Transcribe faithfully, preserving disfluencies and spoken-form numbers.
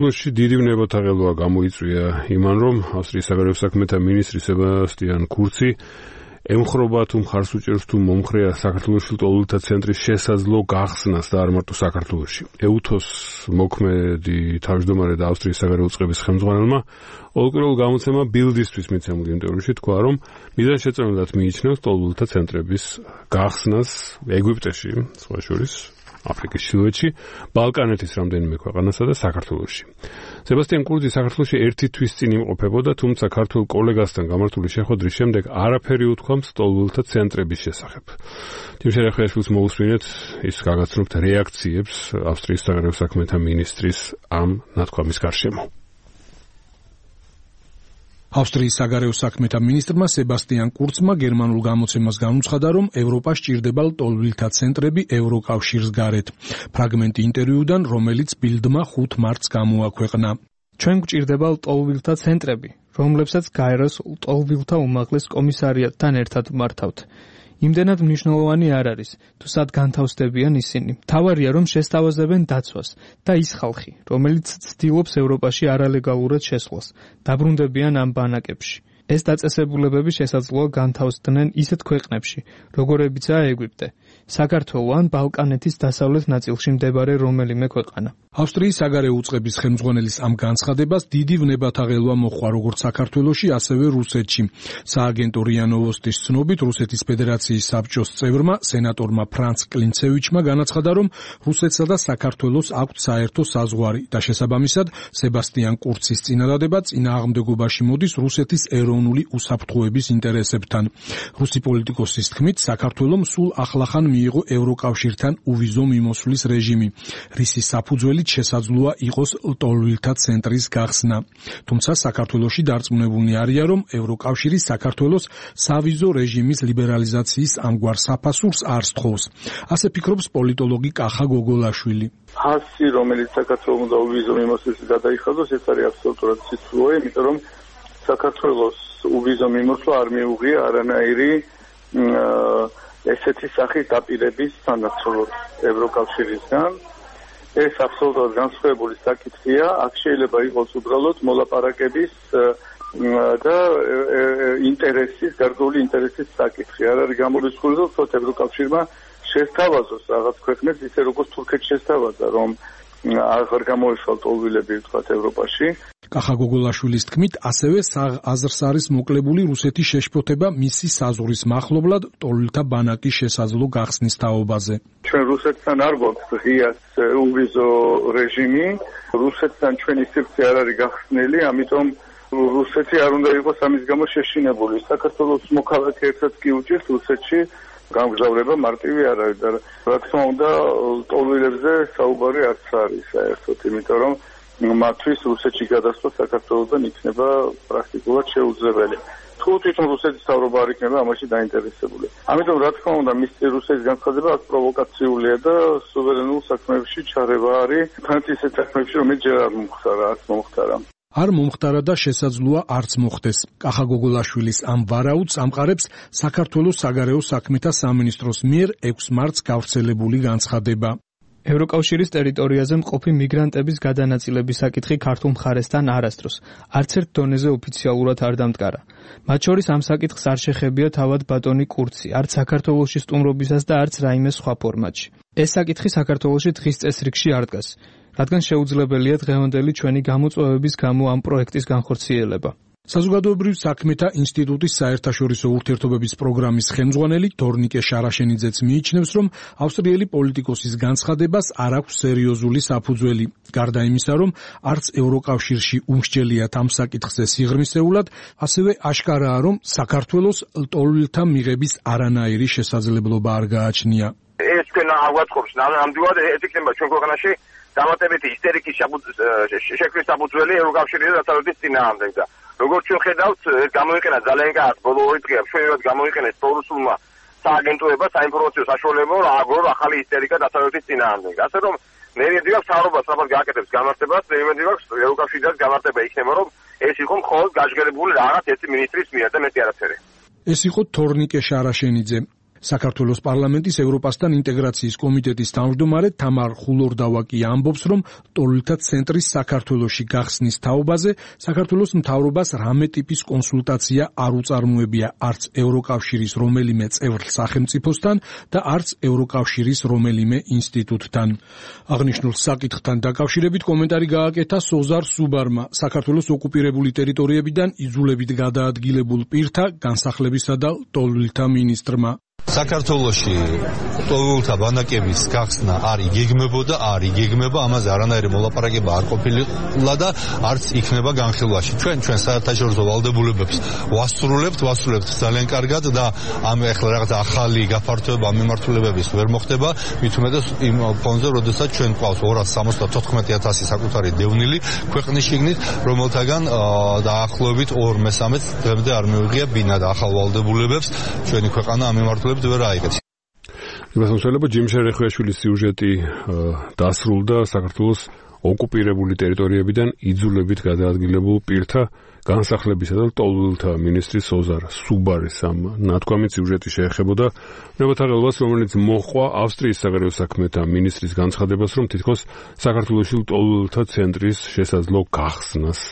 ლოში დიდი ვნებათაღელვა გამოიწვია იმან, რომ ავსტრიის საგარეო საქმეთა მინისტრი სებასტიან კურცი ემხრობა თუ მხარს უჭერს თუ მომხრეა საქართველოში ლტოლვილთა ცენტრის შესაძლო გახსნას და არ მარტო საქართველოში. ეუთოს მოქმედი თავმჯდომარე და ავსტრიის საგარეო წყების ხელმძღვანელმა ოლკრულ გამოცემა ბილდისთვის მიცემულ ინტერვიუში თქვა, რომ მიზანშეწონილად მიიჩნევს ლტოლვილთა ცენტრების გახსნას ეგვიპტეში, სხვა შორის აფრიკის ჩრდილოეთში, ბალკანეთის რამდენიმე ქვეყანასა და საქართველოში. სებასტიან კურცი საქართველოში ერთი თვის წინ იმყოფებოდა, თუმცა ქართულ კოლეგასთან გამართული შეხვედრის შემდეგ არაფერი უთქვამს ლტოლვილთა ცენტრების შესახებ. თიმშენ ახიაშვილს მოусვინეთ ის გაგაცნობთ რეაქციებს ავსტრიის საგარეო საქმეთა მინისტრის ამ ნათქვამის გარშემო. ავსტრიის საგარეო საქმეთა მინისტრმა სებასტიან კურცმა გერმანულ გამოცემას განუცხადა, რომ ევროპას სჭირდება ლტოლვილთა ცენტრები ევროკავშირის გარეთ. ფრაგმენტი ინტერვიუდან, რომელიც ბილდმა ხუთ მარტს გამოაქვეყნა. ჩვენ გვჭირდება ლტოლვილთა ცენტრები, რომლებსაც გაეროს ლტოლვილთა უმაღლეს კომისარიატთან ერთად მართავთ. იმდენად მნიშვნელოვანი არ არის, თუ სად განთავსდებიან ისინი. მთავარია, რომ შესთავაზებენ დაცვას და ის ხალხი, რომელიც ცდილობს ევროპაში არალეგალურად შესვლას, დაბრუნდებიან ამ ბანაკებში. ეს დაწესებულებები შესაძლოა განთავსდნენ ისეთ ქვეყნებში, როგორებიცაა ეგვიპტე, საქართველო ან ბალკანეთის დასავლეთ ნაწილში მდებარე რომელიმე ქვეყანა. ავსტრიის საგარეო უწყების ხელმძღვანელის ამ განცხადებას დიდი ვნებათაღელვა მოჰყვა როგორც საქართველოში, ასევე რუსეთში. სააგენტო რია ნოვოსტის ცნობით, რუსეთის ფედერაციის საბჭოს წევრმა, სენატორმა ფრანც კლინცევიჩმა განაცხადა, რომ რუსეთსა და საქართველოს აქვთ საერთო საზღვარი და შესაბამისად სებასტიან კურცის წინადადება წინააღმდეგობაში მოდის რუსეთის ეროვნული უსაფრთხოების ინტერესებთან. რუსი პოლიტიკოსის თქმით, საქართველომ სულ ახლახან მიიღო ევროკავშირთან უვიზო მიმოსვლის რეჟიმი, რისის საფუძველი შესაძლოა იყოს ლტოლვილთა ცენტრის გახსნა. თუმცა საქართველოში დარწმუნებულნი არიან, რომ ევროკავშირი საქართველოს სავიზო რეჟიმის ლიბერალიზაციის ამგვარ საფასურს არ სთხოვს. ასე ფიქრობს პოლიტოლოგი კახა გოგოლაშვილი. ფასი, რომელიც საქართველოს უნდა უვიზო მიმოსვლისთვის გადაიხადოს, ეს არის აბსოლუტურად ციცუო, იმიტომ რომ საქართველოს უვიზო მიმოსვლა არ მიუღია არანაირი ესეთი სახის დაპირების სანაცვლოდ ევროკავშირისგან. ეს აბსოლუტურად განსხვავებული საკითხია, აქ შეიძლება იყოს უბრალოდ მოლაპარაკების და ინტერესის, გარკვეული ინტერესის საკითხი. არ არის გამორიცხული, რომ თოთ ევროკავშირმა შესთავაზოს რაღაც ქვეყნებს, ისე როგორც თურქეთს შესთავაზა, რომ აღარ გამოეშვა ლტოლვილები ვთქვათ ევროპაში. კახა გოგოლაშვილის თქმით, ასევე აზრს არის მოკლებული რუსეთის შეშფოთება მისი საზღვრის მახლობლად ლტოლვილთა ბანაკის შესაძლო გახსნის თაობაზე. ჩვენ რუსეთთან არ გვაქვს ღია უვიზო რეჟიმი, რუსეთთან ჩვენი სივრცე არ არის გახსნილი, ამიტომ რუსეთი არ უნდა იყოს ამის გამო შეშინებული. საქართველოს მოქალაქე ერთად კი უჭირს რუსეთში გამგზავრება მარტივი არ არის და რა თქმა უნდა ლტოლვილებზე საუბარი არც არის საერთოდ, იმიტომ რომ მათთვის რუსეთში გადასვლა საქართველოსთან იქნება პრაქტიკულად შეუძლებელი. თუ თვითონ რუსეთის მთავრობა არ იქნება ამაში დაინტერესებული. ამიტომ რა თქმა უნდა მის რუსეთის განცხადება აქ პროვოკაციულია და სუვერენულ საქმეებში ჩარევა არის, თანაც ისეთ საქმეებში, რომელიც ჯერ არ მომხდარა, არც მომხდარა. არ მომხდარა და შესაძლოა არც მოხდეს. კახა გოგოლაშვილის ამ ვარაუდს ამყარებს საქართველოს საგარეო საქმეთა სამინისტროს მიერ ექვსი მარტს გავრცელებული განცხადება. ევროკავშირის ტერიტორიაზე მყოფი მიგრანტების გადანაწილების საკითხი ქართულ მხარესთან არასდროს, არც ერთ დონეზე ოფიციალურად არ დამტკარა. მათ შორის ამ საკითხს არ შეხებია თავად ბატონი კურცი, არც საქართველოში სტუმრობისას და არც რაიმე სხვა ფორმატში. ეს საკითხი საქართველოში დღის წესრიგში არ დგას, რადგან შეუძლებელია დღევანდელი ჩვენი გამოწვევების გამო ამ პროექტის განხორციელება. საზოგადოებრივ საქმეთა ინსტიტუტის საერთაშორისო ურთიერთობების პროგრამის ხელმძღვანელი თორნიკე შარაშენიძეც მიიჩნევს, რომ ავსტრიელი პოლიტიკოსის განცხადებას არ აქვს სერიოზული საფუძველი. გარდა იმისა, რომ არც ევროკავშირში უმსჯელიათ ამ საკითხზე სიღრმისეულად, ასევე აშკარაა, რომ საქართველოს ლტოლვილთა მიღების არანაირი შესაძლებლობა არ გააჩნია. ეს თქვენ აღვაწყობს, ნამდვილად ეს იქნება ჩვენ ქვეყანაში დამატებითი ისტერიკის შექმნის საფუძველი ევროკავშირის და დასავლეთის წინააღმდეგ და როგორც ჩვენ ხედავთ, გამოიყენა ძალიან კარგ ბოლო ორი დღეა ჩვენებად გამოიყენეს პრორუსულმა სააგენტოებმა საინფორმაციო საშუალებამ რა აგრო ახალი ისტერიკა დასავლეთის წინააღმდეგ. ასე რომ მე იმედი მაქვს მთავრობას სწრაფად გააკეთებს გამართებას, მე იმედი მაქვს ევროკავშირიდან გამართება იქნება, რომ ეს იყო მხოლოდ გაჟღერებული რაღაც ერთი მინისტრის მიერ და მეტი არაფერი. ეს იყო თორნიკე შარაშენიძე. საქართველოს პარლამენტის ევროპასთან ინტეგრაციის კომიტეტის თავმჯდომარე თამარ ხულორდავაკი ამბობს, რომ ლტოლვილთა ცენტრის საქართველოში გახსნის თაობაზე საქართველოს მთავრობას რამე ტიპის კონსულტაცია არ უწარმოებია არც ევროკავშირის რომელიმე წევრ სახელმწიფოსთან და არც ევროკავშირის რომელიმე ინსტიტუტთან. აღნიშნულ საკითხთან დაკავშირებით კომენტარი გააკეთა სოზარ სუბარმა, საქართველოს ოკუპირებული ტერიტორიებიდან იძულებით გადაადგილებულ პირთა განსახლებისა და ლტოლვილთა მინისტრმა. საქართველოში ლტოლვილთა ბანაკების გახსნა არ იგეგმებოდა, არ იგეგმება, ამაზე არანაირი მოლაპარაკება არ ყოფილა და არც იქნება განხილვაში. ჩვენ ჩვენ საერთაშორისო ვალდებულებებს ვასრულებთ, ვასრულებთ ძალიან კარგად და ამ ახლა რაღაც ახალი გაფართოება მიმართულებების ვერ მოხდება, მით უმეტეს იმ ფონზე, როდესაც ჩვენ გვყავს ორას სამოცდათოთხმეტი ათასი საკუთარი დევნილი ქვეყნის შიგნით, რომელთაგან დაახლოებით ორ მესამედს დღემდე არ მივიღია ბინა და ახალ ვალდებულებებს ჩვენი ქვეყანა ამ მიმართულებით ვერ აიღეთ. იმასამსვლელობა ჯიმშერ ეხვიაშვილის სიუჟეტი დასრულდა საქართველოს ოკუპირებული ტერიტორიებიდან იძულებით გადაადგილებულ პირთა განსახლებისა და ლტოლვილთა მინისტრის სოზარ სუბარის ამ ნათქვამით სიუჟეტი შეეხებოდა ნებათაღელვას, რომელიც მოჰყვა ავსტრიის საგარეო საქმეთა მინისტრის განცხადებას, რომ თითქოს საქართველოში ლტოლვილთა ცენტრის შესაძლო გახსნას